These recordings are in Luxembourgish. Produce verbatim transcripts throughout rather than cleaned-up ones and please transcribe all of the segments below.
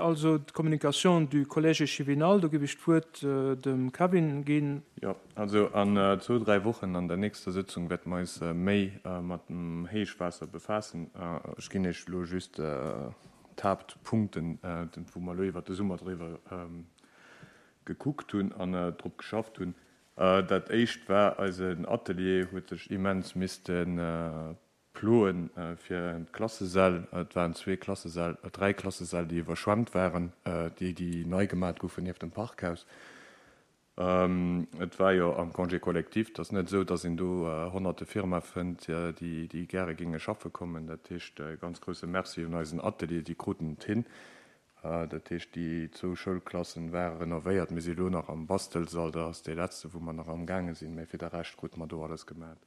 Also d'Communication du Collège échevinal, do géif ech d'Wuert dem Kevin ginn. Jo, also an zwou, dräi Wochen an der nächster Sëtzung wäerte mer eis méi mat dem Héichwaasser befaassen. Ech ginn Iech elo just d'Haaptpunkten, wou mer elo iwwert de Summer driwwer gekuckt hunn an drop geschafft hunn. Dat éischt war, eisen Atelier huet sech immens misste ploen fir d'Klassesäll. Et waren zwee Klassesäll, dräi Klassesäll, déi iwwerschwemmt waren, déi, déi nei gemat goufen nieft dem Parkhaus. Et war jo am Congé collectif. Et ass net esou, datt een do honnerte Firmae fënnt, déi, déi gäre géinge schaffe kommen. Dat heescht, e ganz grousse Merci un eisen Atelier, déi kruten et hin. Dat heescht, déi zwou Schoulklassen ware renovéiert. Mir si elo nach am Bastelsall, dat ass dee letzte, wou mer nach amgaange sinn, mä fir de Rescht krute mer do alles gemat.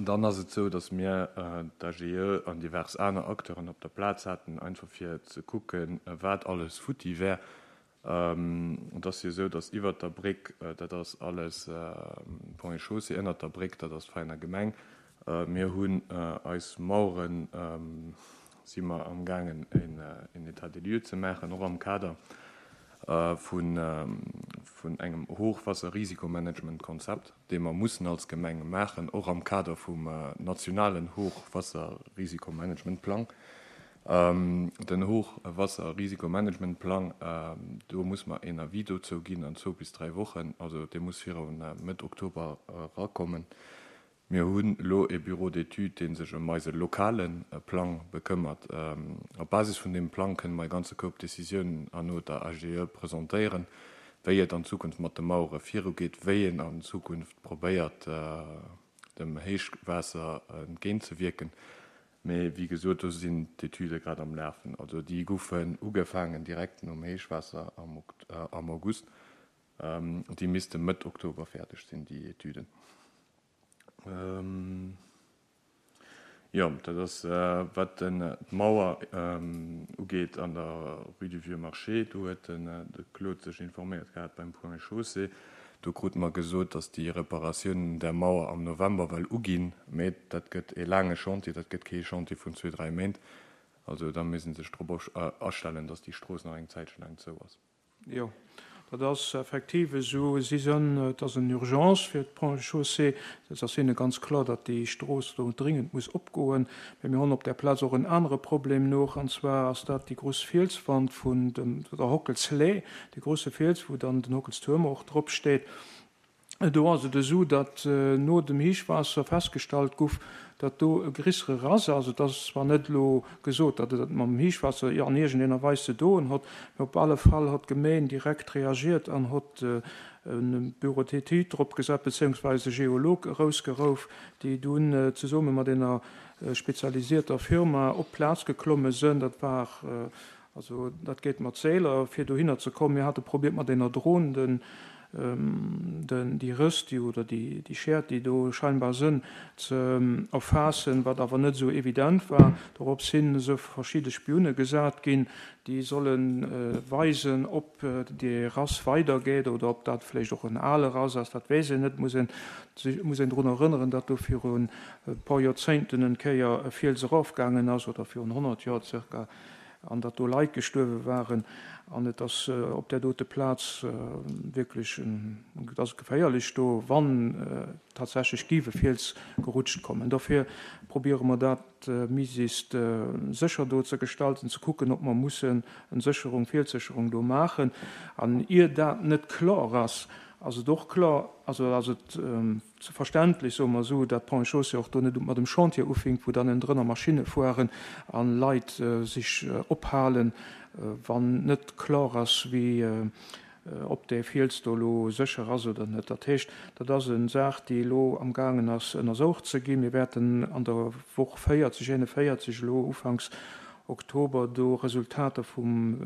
Dann ass et esou, datt mir d'AGE an divers aner Acteuren op der Plaz haten, einfach fir ze kucken, wat alles futti wär. Et ass jo esou, datt iwwert der Bréck, dat ass alles Ponts et Chaussées, ënnert der Bréck, dat ass d'Vereiner Gemeng. Mir hunn eis Maueren, si mer amgaangen en État des lieux ze maachen, och am Kader vun engem Hochwasserrisikomanagementkonzept, dee mer mussen als Gemeng maachen, och am Kader vum nationalen Hochwasserrisikomanagementplang. Den Hochwasserrisikomanagementplang, do muss mer een Avis dozou ginn an zwou bis dräi Wochen, also dee muss viru Mëtt Oktober erakommen. Mir hunn elo e Bureau d'études, dee sech ëm eise lokale Plang bekëmmert. Op Basis vun deem Plang kënne mer e ganze Koup Décisiounen herno der AGE presentéieren, wéi et an Zukunft mat de Mauere virugeet, wéi een an Zukunft probéiert, dem Héichwaasser entgéintzewierken. Mee wéi gesot, do sinn d'Etüde grad am Lafen. Also déi goufen ugefaangen direkt nom Héichwaasser am August. Déi misste Mëtt Oktober fäerdeg sinn, déi Etüden. Jo, dat ass wat d'Mauer ugeet an der Rue du Vieux Marché. Do huet de Claude sech informéiert gehat beim Ponts et Chaussées. Do krute mer gesot, datt déi Reparatiounen där Mauer am November well uginn. Mee dat gëtt e laange Chantier, dat gëtt kee Chantier vun zwee, dräi Méint. Also da misst ee sech drop astellen, datt déi Strooss nach eng Zäitche laang zou ass. Jo, dat ass effektiv esou. Si sënn, et ass en Urgence fir d'Ponts et Chaussées. Et ass hinne ganz kloer, datt déi Strooss do dringend muss opgoen. Mä mir hunn op där Plaz och en anere Problem noch, an zwar ass dat déi grouss Fielswand vun dem, der Hockelslee, dee grouse Fiels, wou dann den Hockelstuerm och drop steet. Do ass et esou, datt no dem Héichwaasser festgestallt guff, datt do e grissere Rass ass. Et ass zwar net elo gesot, datt et mam Héichwaasser an iergendener Weis ze doen hott, mä op alle Fall hott d'Gemeen direkt reagiert an hott e Bureau d'études drop gesat, beziéungsweis e Geolog erousgerouf, déi dunn zesumme mat ener spezialisierter Firma op d'Plaz geklomme sënn. Dat war Also dat geet mat Seeler, fir dohinner ze kommen. Mir hate probiert mat enger Dron den, den, déi Rëss, déi, oder déi, déi Schäert, déi do scheinbar sënn, ze erfaassen, wat awer net esou evident war. Dorops hin se verschidde Spioune gesat ginn, déi solle weisen, ob dee Rass weidergeet oder ob dat vläicht och en ale Rass ass, dat weess een net. Muss een, muss een drun erënneren, datt do virun e puer Joerzéngten en Kéier e Fiels erofgaangen ass, oder virun honnert Joer zirka. an datt do Leit gestuerwe waren, an et ass op där dote Plaz wierklech, et ass geféierlech do, wann tatsächlech géif e Fiels gerutscht kommen. Dofir probiere mer dat méiglechst sécher do ze gestalten, ze kucken, ob mer mussen en Sécherung, Fielssécherung do maachen. An ier dat net kloer ass, ass et och kloer, also ass et verständlech, soe mer esou, datt d'Ponts et Chaussées och do net mat dem Chantier ufänkt, wou dann ënnendrënner Maschinne fueren a Leit sech ophalen, wann net kloer ass, wéi, ob dee Fiels do elo sécher ass oder net. Dat heescht, dat ass eng Saach, déi elo amgaangen ass ënnersoucht ze ginn. Mir wäerten an der Woch véierzeg, eenevéierzeg elo ufanks Oktober do Resultater vum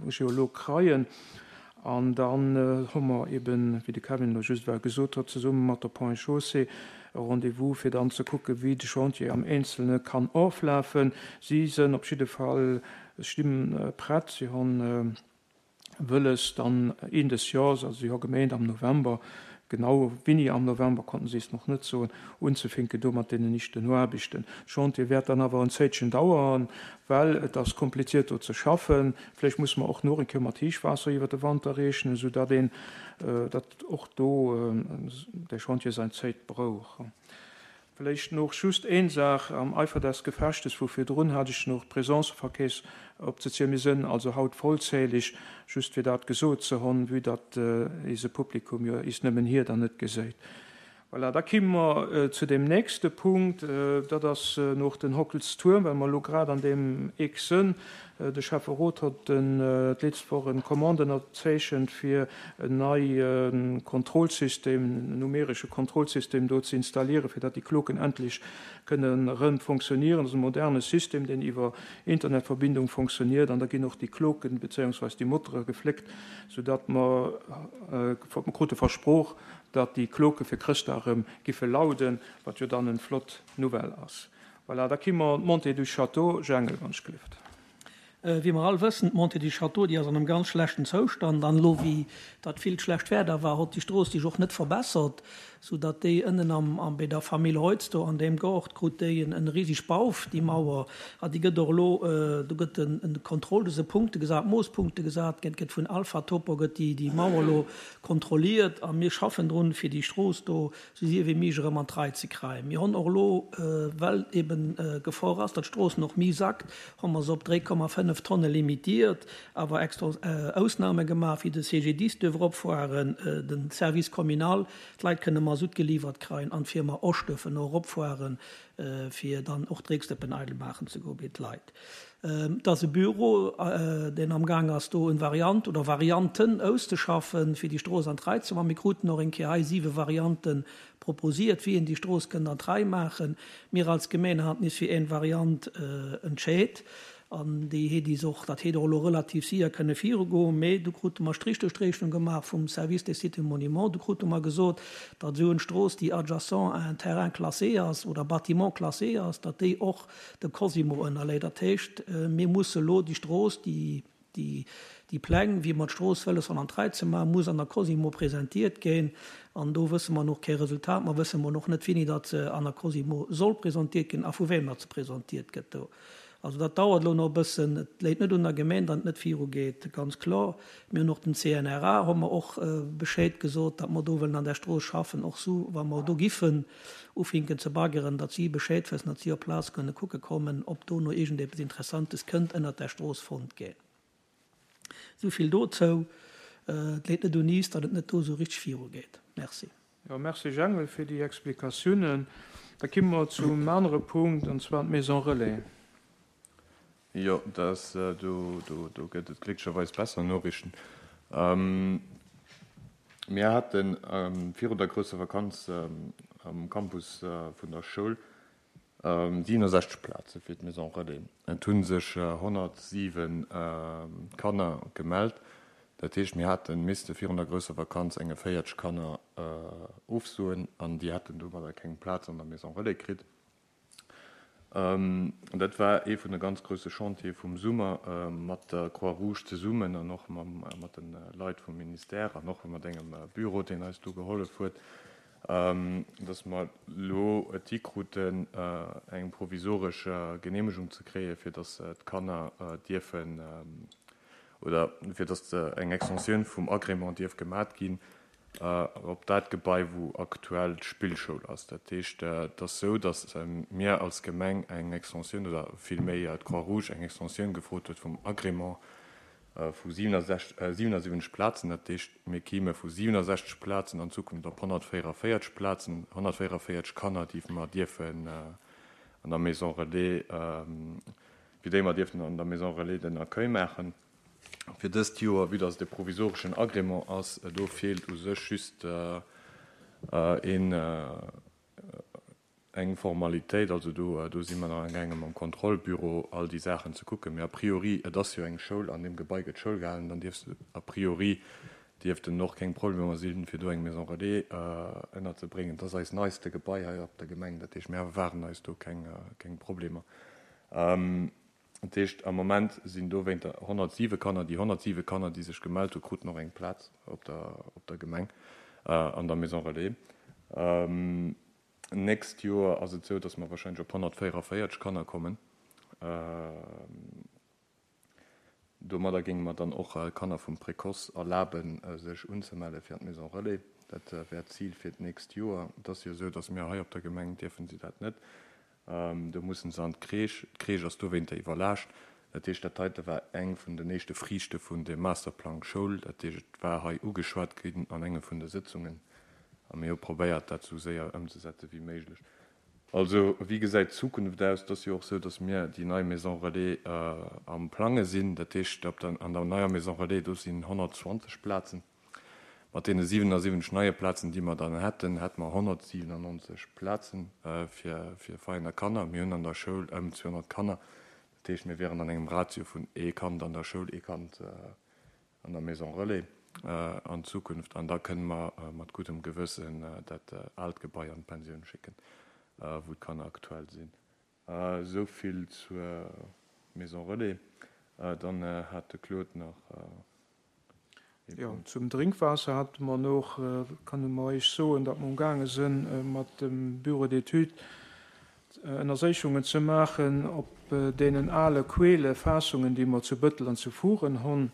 Geolog kreien. An dann hu mer eben, wéi de Kevin elo just ewell gesot huet, zesumme mat der Ponts et Chaussées e Rendez-vous, fir dann ze kucken, wéi de Chantier am Eenzelne kann oflafen. Si sënn op jidde Fall, sti prett, si hu wëlles dann een des Jors, also si hu gemeent am November, Genau wéini am November konnten si es nach net soen, unzefinken do mat deenen éischten Aarbechten. De Chantier wäert dann awer en Zéitchen dauern, well et ass kompliziert do ze schaffen. Vläicht musse mer och nach eng Kéier mat Héichwaasser iwwer de Wanter rechnen, esou datt een, datt och do de Chantier säin Zéit brauch. Vläicht nach just een Saach am Eifer des Gefechtes vu virdrun hat ech nach d'Presenceverkeess opzezielen. Mir sënn also haut vollzählig, just fir dat gesot ze honn, vue datt eise Publikum jo is nëmmen hir dann net geséit. Voilà, da kimme mer zu deem nächste Punkt, dat ass noch den Hockelstuerm, well mer elo grad an deem Eck sënn. De Schäfferot hott d'letzt Woch en Commande ënnerzeechent fir en neie Kontrollsystem, en numeresche Kontrollsystem do ze installieren, fir datt déi Kloken endlech kënnen erëm fonctionnieren. Dat ass e moderne System, deen iwwer Internetverbindung fonctionniert, an da ginn och déi Kloken bezéiungsweis déi Motere gefléckt, soudatt mer, mer krute versprooch, datt déi Kloke fir Chrëschtdag erëm giffe lauden, wat jo dann en flott Nouvelle ass. Voilà, da kimme mer d'Montée du Château, Jangel, wann ech gelift. Wéi mer all wëssen, d'Montée du Château, déi ass an engem ganz schlechten Zoustand. An elo, wéi dat villt schlecht Wieder war, hott déi Strooss sech och net verbessert, soudatt déi ënnen am, am, bei der Famill Reutz do an deem Gaart krut déi en, en riseg Bauf, déi Mauer. A déi gëtt och elo, do gëtt en, en Contrôle, do si Punkte gesat, Moosspunkte gesat, gëtt, gëtt vun Alpha Topo gëtt déi, déi Mauer elo kontrolliert. A mir schaffen drun, fir déi Strooss do sou séier wéi méiglech erëm an d'Rei ze kréien. Mir hunn och elo, well eben Gefor ass, datt d'Strooss nach méi sackt, hu mer se op dräi Komma fënnef Tonne limitiert, awer extra Ausname gemaach, wéi de C G D I S duerf eropfueren, den Service communal, d'Leit kënne Masutt geliwwert kréien an d'Firma Osch duerfen och eropfueren, fir dann och d'Drécksdëppen eidel maachen ze goen bei d'Leit. Et ass e Büro, deen am Gaang ass, do en Variant oder Varianten auszeschaffen, fir déi Strooss an d'Rei ze maachen. Mir kruten och eng Kéier hei siwe Variante proposiert, wéi een déi Strooss kënnt an d'Rei maachen. Mir als Gemeen haten is fir eng Variant entscheet an déi heet is och, dat heet och elo relativ séier kënne virugoen. Mee du krute mer Strich duerch d'Rechnung gemaach vum Service des Sites et Monuments. Du krute mer gesot, datt esou eng Strooss, déi adjacent à un terrain classé ass oder bâtiment classé ass, datt déi och dem Cosimo ënnerléit. Dat heescht, mir musse elo déi Strooss, déi, déi, déi Pläng, wéi mer d'Strooss wëlles an d'Rei ze maachen, muss an der Cosimo presentiert ginn. An do wësse mer noch kee Resultat. Mer wësse mer noch net, wéini dat se an der Cosimo soll presentiert ginn a vu wem dat se presentiert gëtt do. Also dat dauert elo noch e bëssen. Et léit net un der Gemeng, datt et net virugeet, ganz kloer. Mir hunn och den C N R A, hu mer och Bescheid gesot, datt mer do wëllen an der Strooss schaffen, och sou, wa mer do giffen ufinken ze baggeren, datt si Bescheid wëssen, datt si op Plaz kënne kucke kommen, ob do no iergendepes Interessantes kënnt ënnert der Strooss fonnt ginn. Sou vill dozou. Et léit net un is, datt et net do sou richteg virugeet. Merci. Ja, merci Jangel fir déi Explikatiounen. Da kimme mer zum anere Punkt, an zwar d'Maison Relais. Jo, das, do, do, do gëtt et glécklecherweis besser Noriichten. Mir haten virun der grousser Vakanz am Campus vun der Schoul siebenundsechzeg Plaze fir d'Maison Relais. Et hu sech honnertsiwen Kanner gemellt. Dat heescht, mir haten misste virun der grousser Vakanz enge véierzeg Kanner ofsoen an déi hätten domadder keng Plaz an der Maison Relais kritt. Dat war ee vun de ganz grousse Chantiere vum Summer mat der Croix-Rouge zesummen an och mat de Leit vum Ministère an och mat engem Büro, deen eis do gehollef huet, dass mer elo et hikruten, eng provisoresch Genehmegung ze kréien, fir dass d'Kanner dierfen oder fir dass eng Extensioun vum Agrément dierf gemat ginn op dat Gebai, wou aktuell d'Spillschoul ass. Dat heescht, et ass sou, dass mir als Gemeng eng Extensioun oder villméi d'Croix-Rouge eng Extensioun gefrot huet vum Agrément vu siebenundsiebzig Plazen. Dat heescht, mir kieme vu siebenundsechzeg Plazen an Zukunft op honnertvéierundvéierzeg Plazen, honnertvéierundvéierzeg Kanner, déi mer dierfen an der Maison Relais, fir déi mer dierfen an der Maison Relais den Accueil maachen. Fir dëst Joer, vue dass et e provisoreschen Agrément ass, do feelt u sech just een, eng Formalitéit, also do, do si mer nach amgaangen mam Kontrollbüro all déi Saachen ze kucken. Mee a priori, et ass jo eng Schoul, an deem Gebai gëtt Schoul gehalen, dann dierfst a priori dierften och keng Problemer sinn, fir do eng Maison Relais ënnerzebréngen. Dat ass eist neiste Gebai hei op der Gemeng, dat heescht, mir erwaarden eis do keng, keng Problemer. Dat heescht, am Moment sinn do wéinter honnertsiwe Kanner, déi honnertsiwe Kanner, déi sech gemellt hu, kruten och eng Plaz op der, op der Gemeng. an der Maison Relais. Nächst Joer ass et esou, dass mer wahrscheinlech op honnertvéierevéierteg Kanner kommen. Domadder géinge mer dann och Kanner vum Précoce erlaben, sech unzemelle fir an d'Maison Relais. Dat wär d'Zil fir d'nächst Joer. Et ass jo esou, dass mir hei op der Gemeng dierfen si dat net. Do mussen se an d'Crèche. D'Crèche ass dowéinter iwwerlaascht. Dat heescht, dat heite war eng vun den éischte Friichte vun dem Masterplang Schoul. Dat heescht, et war hei ugeschwat ginn an enge vun de Sëtzungen a mir hu probéiert, dat esou séier ëmzesetze wéi méiglech. Also, wéi gesäit d'Zukunft aus? Et ass jo och esou, dass mir déi nei Maison Relais am Plange sinn. Dat heescht, op der, an der neier Maison Relais, do sinn honnertzwanzeg Plazen. Mat deene siwenasiwwenzeg neie Plazen, déi mer dann hätten, hätte mer honnertsiwenannonzeg Plaze fir, fir Vereiner Kanner. Mir hunn an der Schoul ëm zweehonnert Kanner. Dat heescht, mir wieren an engem Ratio vun ee Kand an der Schoul, ee Kand an der Maison Relais an Zukunft. An da kënne mer mat guddem Gewëssen dat aalt Gebai an d'Pensioun schécken, wou d'Kanner aktuell sinn. Esou vill zur Maison Relais. Dann hat de Claude nach ee Jo, Punkt. zum Drénkwaasser hate mer noch, kann mer Iech soen, datt mer umgaange sinn, mat dem Bureau d'études Ënnerséichungen ze maachen op deenen ale Quellefaassungen, déi mer zu Bëttel an zu Furen hunn,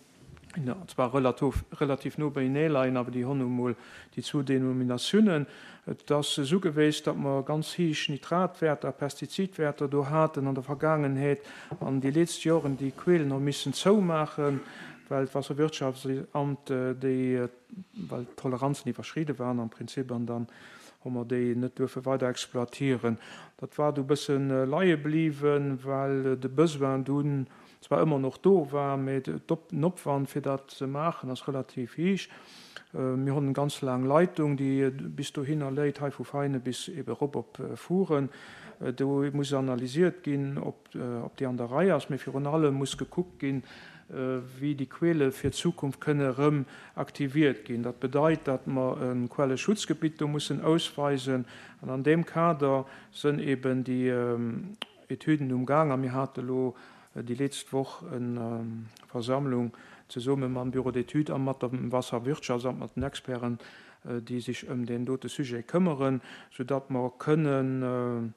zwar relativ, relativ no beienee leien, awer déi hunn nu mol déi zwou Denominatiounen. Et ass esou geweest, datt mer ganz héich Nitratwäerter, Pestizidwäerter do haten an der Vergaangenheet an déi letzt Joren déi Quellen hu missen zoumaachen, well d'Wasserwirtschaftsamt déi, well d'Toleranzen iwwerschride waren am Prinzip an dann hu mer déi net duerfe weider exploitieren. Dat war du bëssen leie bliwwen, well de Besoin dunn zwar ëmmer noch do war, mee den Opwand fir dat ze maachen ass relativ héich. Mir hunn eng ganz laang Leitung, déi bis dohinner léit, hei vu Veine bis ebe rop op Furen. Do muss analysiert ginn, ob, ob déi an der Rei ass, mee virun allem muss gekuckt ginn, wéi déi Quelle fir d'Zukunft kënne rëm aktiviert ginn. Dat bedeit, datt mer e Quelleschutzgebitt do mussen ausweisen. An an deem Kader sënn eben déi Etüden umgaang. A mir hate lo déi letzte Woch eng Versammlung zesumme mam Bureau d'études a mat dem Wasserwirtschaftsamt, mat den Experten, déi sech ëm den dote Sujet këmmeren, soudatt mer kënnen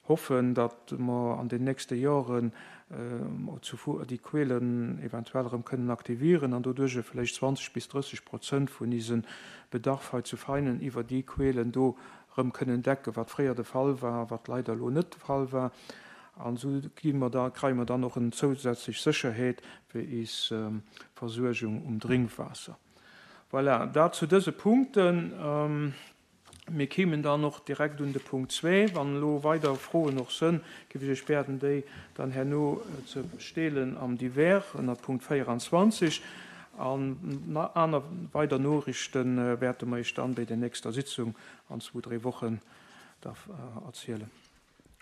hoffen, datt mer an den nächste Joren déi Quellen eventuell erëm kënnen aktivieren an doduerch vläicht zwanzeg bis drësseg Prozent vun diesem Bedarf hei zu Veinen iwwer déi Quellen do erëm kënnen decken, wat fréier de Fall war, wat leider lo net de Fall war. An esou gi mer da, kréie mer dann och eng zousätzlech Sécherheet fir eis Versuergung um Drénkwaasser. Voilà, dat zu dëse Punkten. Mir kämen dann och direkt un de Punkt zwee. Wann elo weider Froen och sënn, géif ech iech bieden, déi dann herno ze stellen am Divers ënner Punkt véieranzwanzeg. An aner weider Noriichten wäerte mer iech dann bei der nächster Sitzung an zwou, dräi Wochen da erzielen.